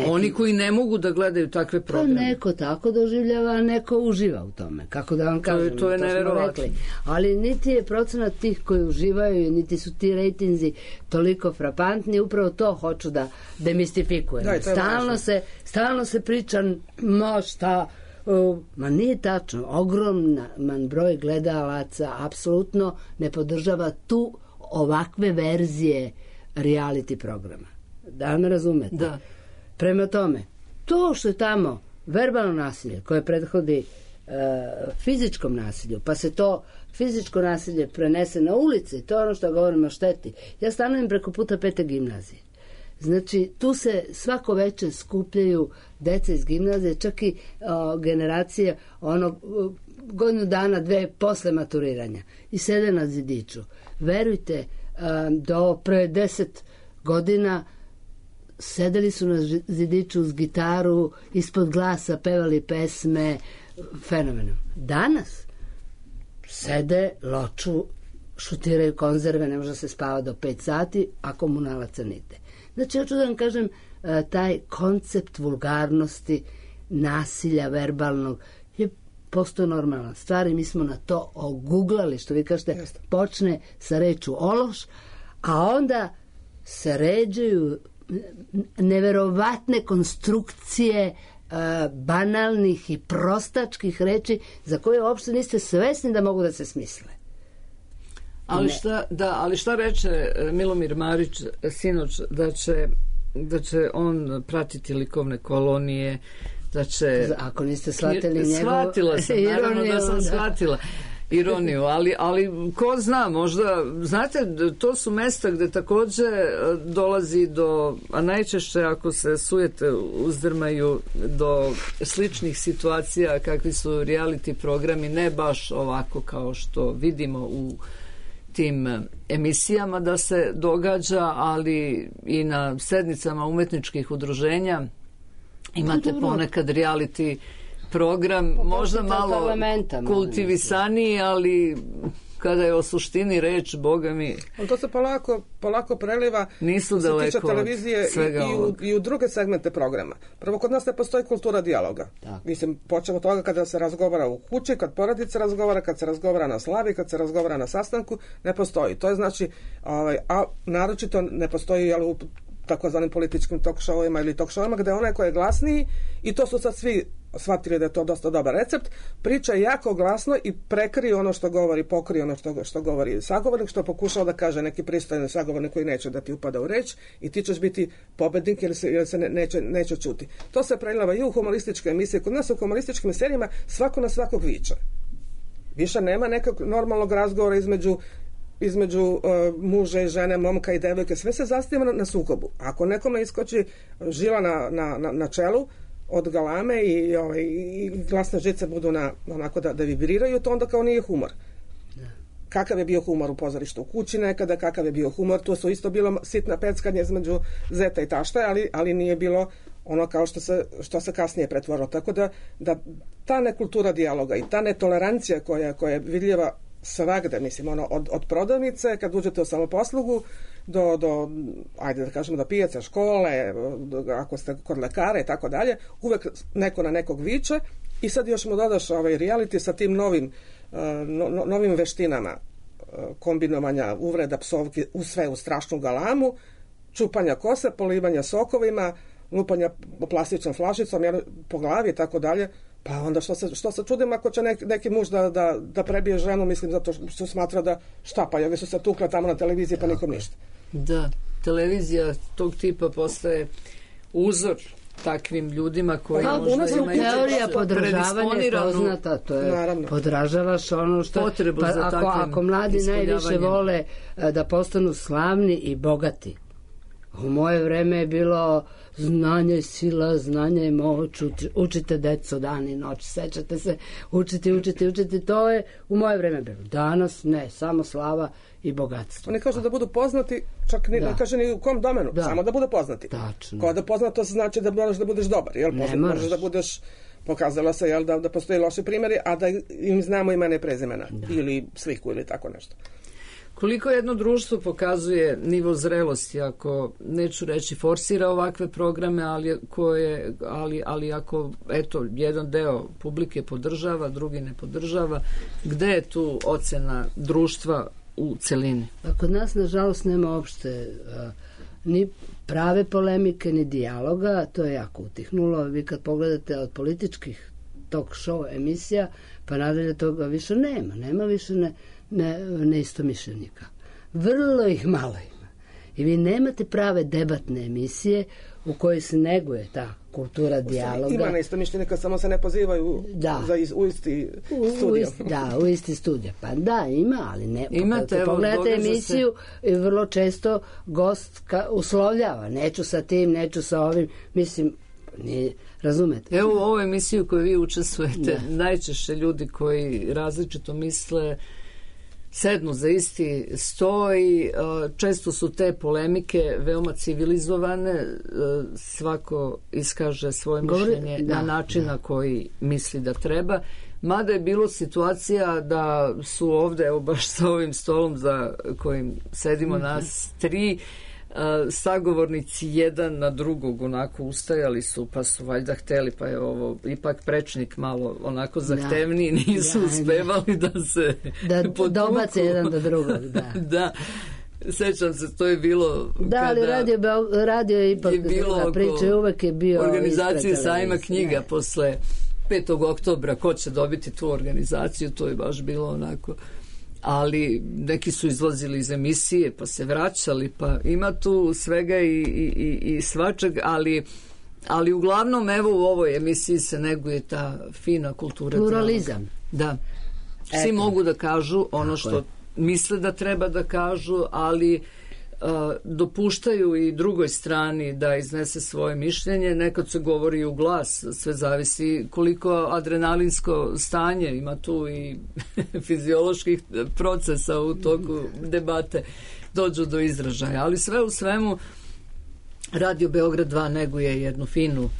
Oni koji ne mogu da gledaju takve programe. Pa neko tako doživljava, a neko uživa u tome. Kako da vam kažem, to je neverovatno. Ali niti je procenat tih koji uživaju, niti su ti rejtinzi toliko frapantni, upravo to hoću da demistifikujem. Stalno se priča, ma nije tačno. Ogroman broj gledalaca apsolutno ne podržava tu ovakve verzije reality programa. Da me razumete? Da. Prema tome, to što je tamo verbalno nasilje koje prethodi fizičkom nasilju, pa se to fizičko nasilje prenese na ulici, to je ono što govorimo o šteti. Ja stanujem preko puta 5. gimnazije. Znači, tu se svako veče skupljaju deca iz gimnazije, čak i generacije godinu dana, 2 posle maturiranja i sede na zidiću. Verujte, do pre 10 godina sedeli su na zidiću uz gitaru, ispod glasa pevali pesme, fenomenom. Danas sede, loču, šutiraju konzerve, ne može se spava do 5 sati, a komunalaca nigde. Znači, hoću da vam kažem, taj koncept vulgarnosti, nasilja verbalnog je postao normalna stvar i mi smo na to oguglali, što vi kažete, počne sa rečju ološ, a onda se ređaju neverovatne konstrukcije banalnih i prostačkih reči za koje uopšte niste svesni da mogu da se smisle. Ali šta reče Milomir Marić sinoć, da će on pratiti likovne kolonije, da će... Ako niste shvatili njegov... Shvatila sam, naravno da sam shvatila ironiju, ali ko zna, možda, znate, to su mesta gde takođe dolazi do, a najčešće ako se sujete uzdrmaju, do sličnih situacija kakvi su reality programi, ne baš ovako kao što vidimo u tim emisijama da se događa, ali i na sednicama umetničkih udruženja imate ponekad reality program, možda malo kultivisaniji, ali kada je o suštini reč, Boga mi... Ali to se polako preliva nisu se daleko tiče televizije i u druge segmente programa. Prvo, kod nas ne postoji kultura dijaloga. Mislim, počemo od toga kada se razgovara u kući, kad porodica razgovara, kad se razgovara na slavi, kad se razgovara na sastanku, ne postoji. To je znači, a naročito ne postoji u takozvanim političkim talk showima ili talk showima gde onaj ko je glasniji, i to su sad svi shvatili da je to dosta dobar recept, priča jako glasno i prekrije ono što govori, pokrije ono što govori sagovornik, što pokušao da kaže neki pristojni sagovornik koji neće da ti upada u reč i ti ćeš biti pobednik jer se neće čuti. To se preliva i u humorističke emisije. Kod nas u humorističkim serijama svako na svakog viče. Više nema nekog normalnog razgovora između muža i žene, momka i devojke, sve se zasniva na sukobu. Ako nekome iskoči žila na čelu od galame i glasne žice budu onako da vibriraju, to onda kao nije humor. Kakav je bio humor u pozorištu u kući nekada, kakav je bio humor, tu su isto bilo sitna peckanje između zeta i tašta, ali nije bilo ono kao što se kasnije pretvorilo. Tako da ta nekultura dijaloga i ta netolerancija koja je vidljiva svagde, mislim, od prodavnice, kad uđete u samoposlugu, do ajde da kažemo, do pijace, škole, ako ste kod lekara i tako dalje, uvek neko na nekog viče i sad još mu dodaš reality sa tim novim veštinama kombinovanja uvreda, psovki, sve u strašnu galamu, čupanja kose, polivanja sokovima, lupanja plastičnom flašicom po glavi i tako dalje. Pa onda što se čudim ako će neki muž da prebije ženu, mislim, zato što smatra da šta, pa ovi su se tukle tamo na televiziji pa nikom ništa. Da, televizija tog tipa postaje uzor takvim ljudima koji možda imaju teorija podržavanja poznata, to je naravno. Podražavaš ono što potrebu za takvim ako mladi najviše vole da postanu slavni i bogati. U moje vreme je bilo znanje je sila, znanje je moć, učite deco dan i noć, sećate se, učiti, to je u moje vreme bilo. Danas ne, samo slava i bogatstvo. Oni kažu da budu poznati, čak ne kaže ni u kom domenu, samo da budu poznati. Tačno. Kao da poznato znači da moraš da budeš dobar, jel? Možeš da budeš, pokazalo se, jel, da postoji loši primjeri, a da im znamo imena i prezimena, ili sliku ili tako nešto. Koliko jedno društvo pokazuje nivo zrelosti, ako neću reći forsira ovakve programe, ali ako eto jedan deo publike podržava, drugi ne podržava, gde je tu ocena društva u celini? Kod nas nažalost nema uopšte ni prave polemike, ni dijaloga, to je jako utihnulo. Vi kad pogledate od političkih talk show emisija, pa nadalje toga više nema više neistomišljenika. Vrlo ih malo ima. I vi nemate prave debatne emisije u kojoj se neguje ta kultura dijaloga. Ima neistomišljenika, samo se ne pozivaju u isti studio. U isti studio. Pa da, ima, ali ne. Imate, pogledate emisiju i vrlo često gost uslovljava. Neću sa tim, neću sa ovim. Mislim, razumete? Evo u ovoj emisiji u kojoj vi učestvujete, najčešće ljudi koji različito misle sednu za isti sto i često su te polemike veoma civilizovane, svako iskaže svoje mišljenje na način na koji misli da treba. Mada je bilo situacija da su ovde, evo baš sa ovim stolom za kojim sedimo nas tri, sagovornici jedan na drugog onako ustajali su, pa su valjda hteli, pa je ovo ipak prečnik malo onako zahtevniji, nisu uspevali da se dobace jedan do drugog. Da, sećam se, to je bilo ali radio je ipak druga priča, uvek je bio organizacije sajma knjiga posle 5. oktobra, ko će dobiti tu organizaciju, to je baš bilo onako, ali neki su izlazili iz emisije pa se vraćali, pa ima tu svega i svačeg, ali uglavnom evo u ovoj emisiji se neguje ta fina kultura. Pluralizam. Da. Svi mogu da kažu ono što misle da treba da kažu, ali dopuštaju i drugoj strani da iznese svoje mišljenje. Nekad se govori u glas, sve zavisi koliko adrenalinsko stanje, ima tu i fizioloških procesa u toku debate dođu do izražaja, ali sve u svemu Radio Beograd 2 neguje jednu finu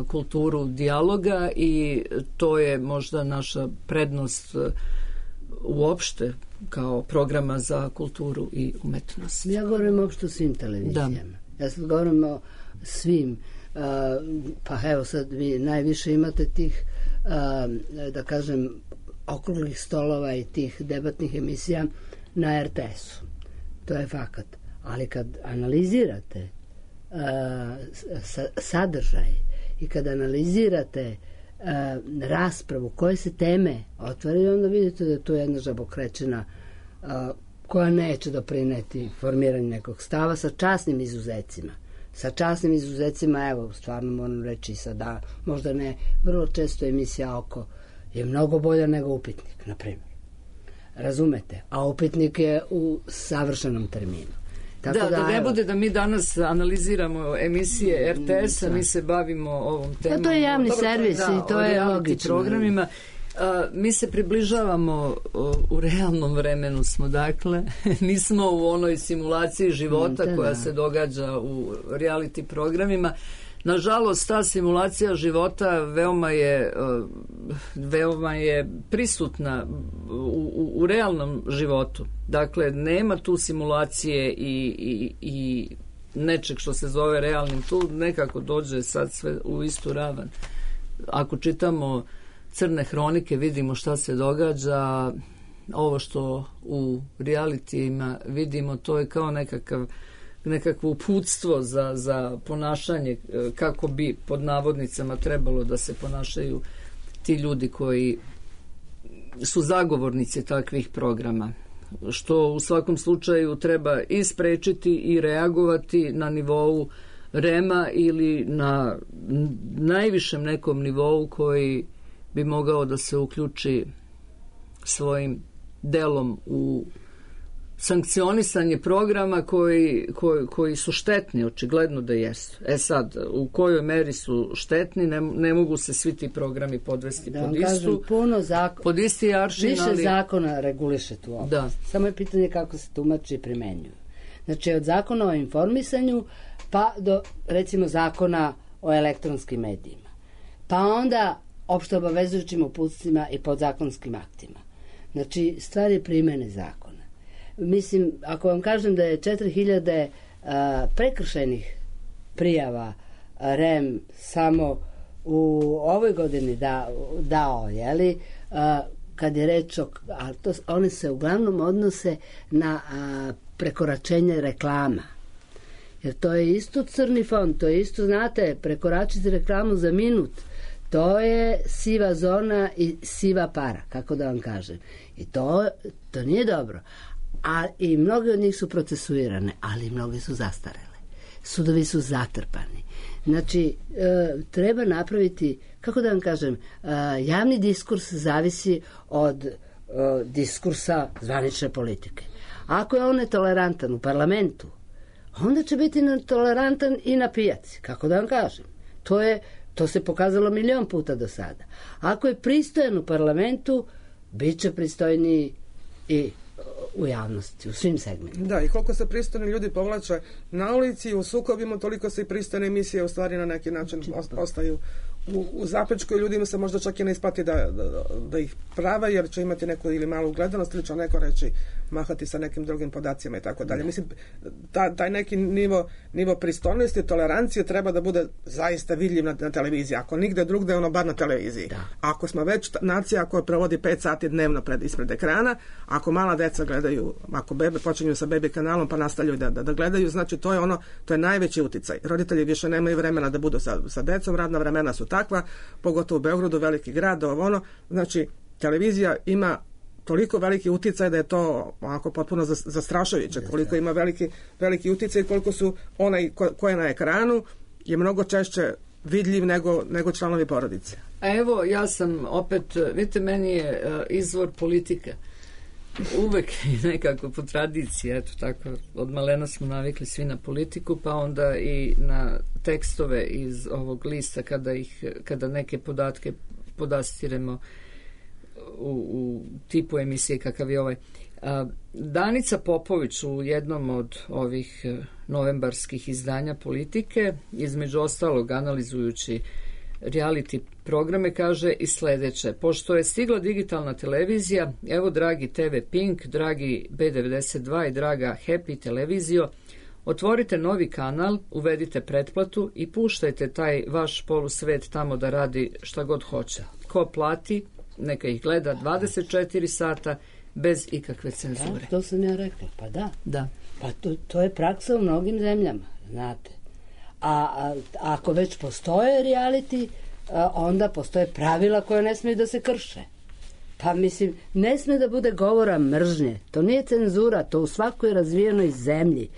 kulturu dijaloga i to je možda naša prednost uopšte kao programa za kulturu i umetnost. Ja govorim uopšte o svim televizijama. Ja sad govorim o svim. Pa evo sad vi najviše imate tih da kažem okruglih stolova i tih debatnih emisija na RTS-u. To je fakat. Ali kad analizirate sadržaj i kad analizirate raspravu koje se teme otvaraju, onda vidite da je to jedna žabokrećina koja neće doprineti formiranju nekog stava sa časnim izuzecima. Sa časnim izuzecima, evo, stvarno moram reći sada, možda ne, vrlo često emisija Oko je mnogo bolja nego Upitnik, na primjer. Razumete? A Upitnik je u savršenom terminu. Da ne bude da mi danas analiziramo emisije RTS-a, mi se bavimo ovom temom. To je javni servis i to je logično. Programima. Mi se približavamo u realnom vremenu smo, dakle, nismo u onoj simulaciji života koja se događa u reality programima. Nažalost, ta simulacija života veoma je prisutna u realnom životu. Dakle, nema tu simulacije i nečeg što se zove realnim. Tu nekako dođe sad sve u istu ravan. Ako čitamo crne hronike, vidimo šta se događa. Ovo što u realitijima vidimo, to je kao nekakvo uputstvo za ponašanje, kako bi pod navodnicama trebalo da se ponašaju ti ljudi koji su zagovornici takvih programa, što u svakom slučaju treba i sprečiti i reagovati na nivou REM-a ili na najvišem nekom nivou koji bi mogao da se uključi svojim delom u sankcionisanje programa koji su štetni, očigledno da jesu. Sad, u kojoj meri su štetni, ne mogu se svi ti programi podvesti pod isti aršin. Više zakona reguliše tu oblast. Samo je pitanje kako se tumači i primenjuju. Znači, od zakona o informisanju pa do, recimo, zakona o elektronskim medijima. Pa onda opšte obavezujućim uputstvima i podzakonskim aktima. Znači, stvar je primene zakona. Mislim, ako vam kažem da je 4000 prekršajnih prijava REM samo u ovoj godini dao, jeli, kad je reč one se uglavnom odnose na prekoračenje reklama. Jer to je isto crni fond, to je isto, znate, prekoračiti reklamu za minut, to je siva zona i siva para, kako da vam kažem. I to nije dobro. A i mnoge od njih su procesuirane, ali mnoge su zastarele. Sudovi su zatrpani. Znači, treba napraviti, kako da vam kažem, javni diskurs zavisi od diskursa zvanične politike. Ako je on netolerantan u parlamentu, onda će biti netolerantan i na pijaci, kako da vam kažem. To se pokazalo milion puta do sada. Ako je pristojan u parlamentu, bit će pristojniji i u javnosti, u svim segmentima. Da, i koliko se pristojni ljudi povlače na ulici, u sukobima, toliko se i pristojne emisije u stvari na neki način ostaju u zapečku i ljudima se možda čak i ne isplati da ih prave, jer će imati neku ili malu gledanost ili će neko reći mahati sa nekim drugim podacima i tako dalje. Mislim, taj neki nivo pristojnosti, tolerancije treba da bude zaista vidljiv na televiziji. Ako nigde drugde, ono bar na televiziji. Da. Ako smo već nacija koja provodi 5 sati dnevno ispred ekrana, ako mala deca gledaju, ako bebe počinju sa bebi kanalom pa nastavljaju da gledaju, znači to je najveći uticaj. Roditelji više nemaju vremena da budu sa decom, radna vremena su takva, pogotovo u Beogradu, veliki grad, znači televizija ima toliko veliki uticaj da je to onako potpuno zastrašujuće, koliko ima veliki uticaj, koliko su onaj ko je na ekranu je mnogo češće vidljiv nego članovi porodice. A evo, ja sam opet, vidite, meni je izvor politika. Uvek nekako po tradiciji, eto tako, od malena smo navikli svi na politiku, pa onda i na tekstove iz ovog lista kada neke podatke podastiremo u tipu emisije kakav je ovaj. Danica Popović u jednom od ovih novembarskih izdanja Politike, između ostalog analizujući reality programe, kaže i sledeće: pošto je stigla digitalna televizija, evo dragi TV Pink, dragi B92 i draga Happy televizijo, otvorite novi kanal, uvedite pretplatu i puštajte taj vaš polusvet tamo da radi šta god hoće. Ko plati, neka ih gleda 24 sata bez ikakve cenzure. Da, to sam ja rekla, pa da. Pa to je praksa u mnogim zemljama, znate. A ako već postoje reality, onda postoje pravila koja ne smiju da se krše. Pa mislim, ne sme da bude govora mržnje. To nije cenzura, to u svakoj razvijenoj zemlji.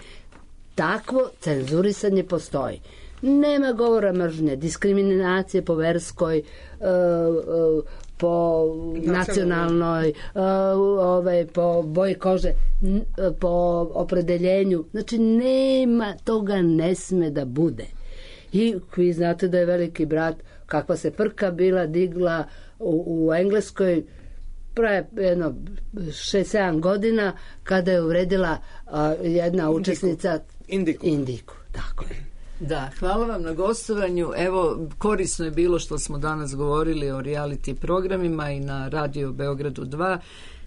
Takvo cenzurisanje postoji. Nema govora mržnje, diskriminacije po verskoj, po nacionalnoj, po boji kože, po opredeljenju. Znači, nema, toga ne sme da bude. I vi znate da je Veliki brat, kakva se frka bila digla u Engleskoj pre jedno 6-7 godina, kada je uvredila jedna učesnica Indiku. Tako je. Da, hvala vam na gostovanju. Evo, korisno je bilo što smo danas govorili o reality programima i na Radio Beogradu 2.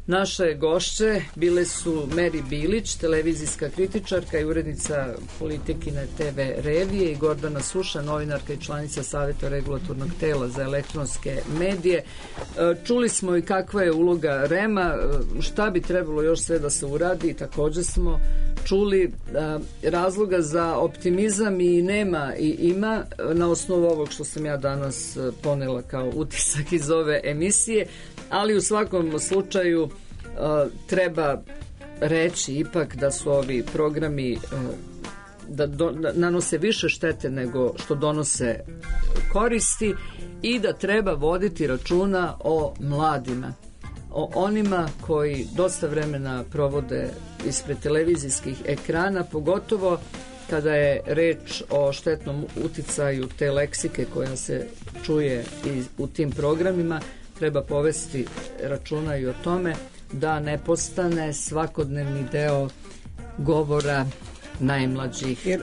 Naše gošće bile su Meri Bilić, televizijska kritičarka i urednica Politikine TV revije, i Gordana Suša, novinarka i članica Saveta regulatornog tela za elektronske medije. Čuli smo i kakva je uloga REM-a, šta bi trebalo još sve da se uradi, također smo čuli razloga za optimizam i nema i ima na osnovu ovog što sam ja danas ponela kao utisak iz ove emisije, ali u svakom slučaju treba reći ipak da su ovi programi da nanose više štete nego što donose koristi i da treba voditi računa o mladima, o onima koji dosta vremena provode ispred televizijskih ekrana, pogotovo kada je reč o štetnom uticaju te leksike koja se čuje i u tim programima. Treba povesti računa i o tome da ne postane svakodnevni deo govora najmlađih. Jer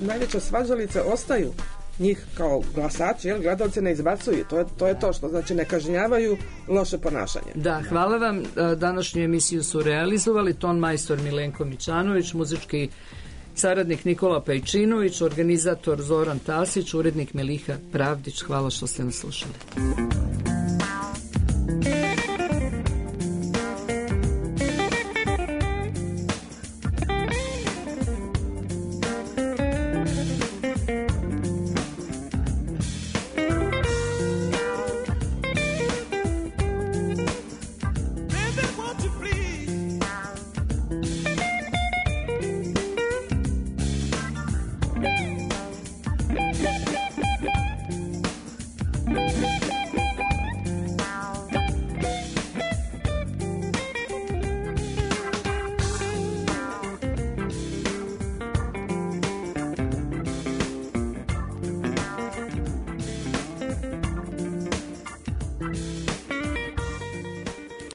najveća svađalice ostaju njih kao glasači, jer gledalci ne izbacuju. To je to što znači ne kažnjavaju loše ponašanje. Da, hvala vam. Današnju emisiju su realizovali ton majstor Milenko Mićanović, muzički saradnik Nikola Pejčinović, organizator Zoran Tasić, urednik Meliha Pravdić. Hvala što ste nas slušali.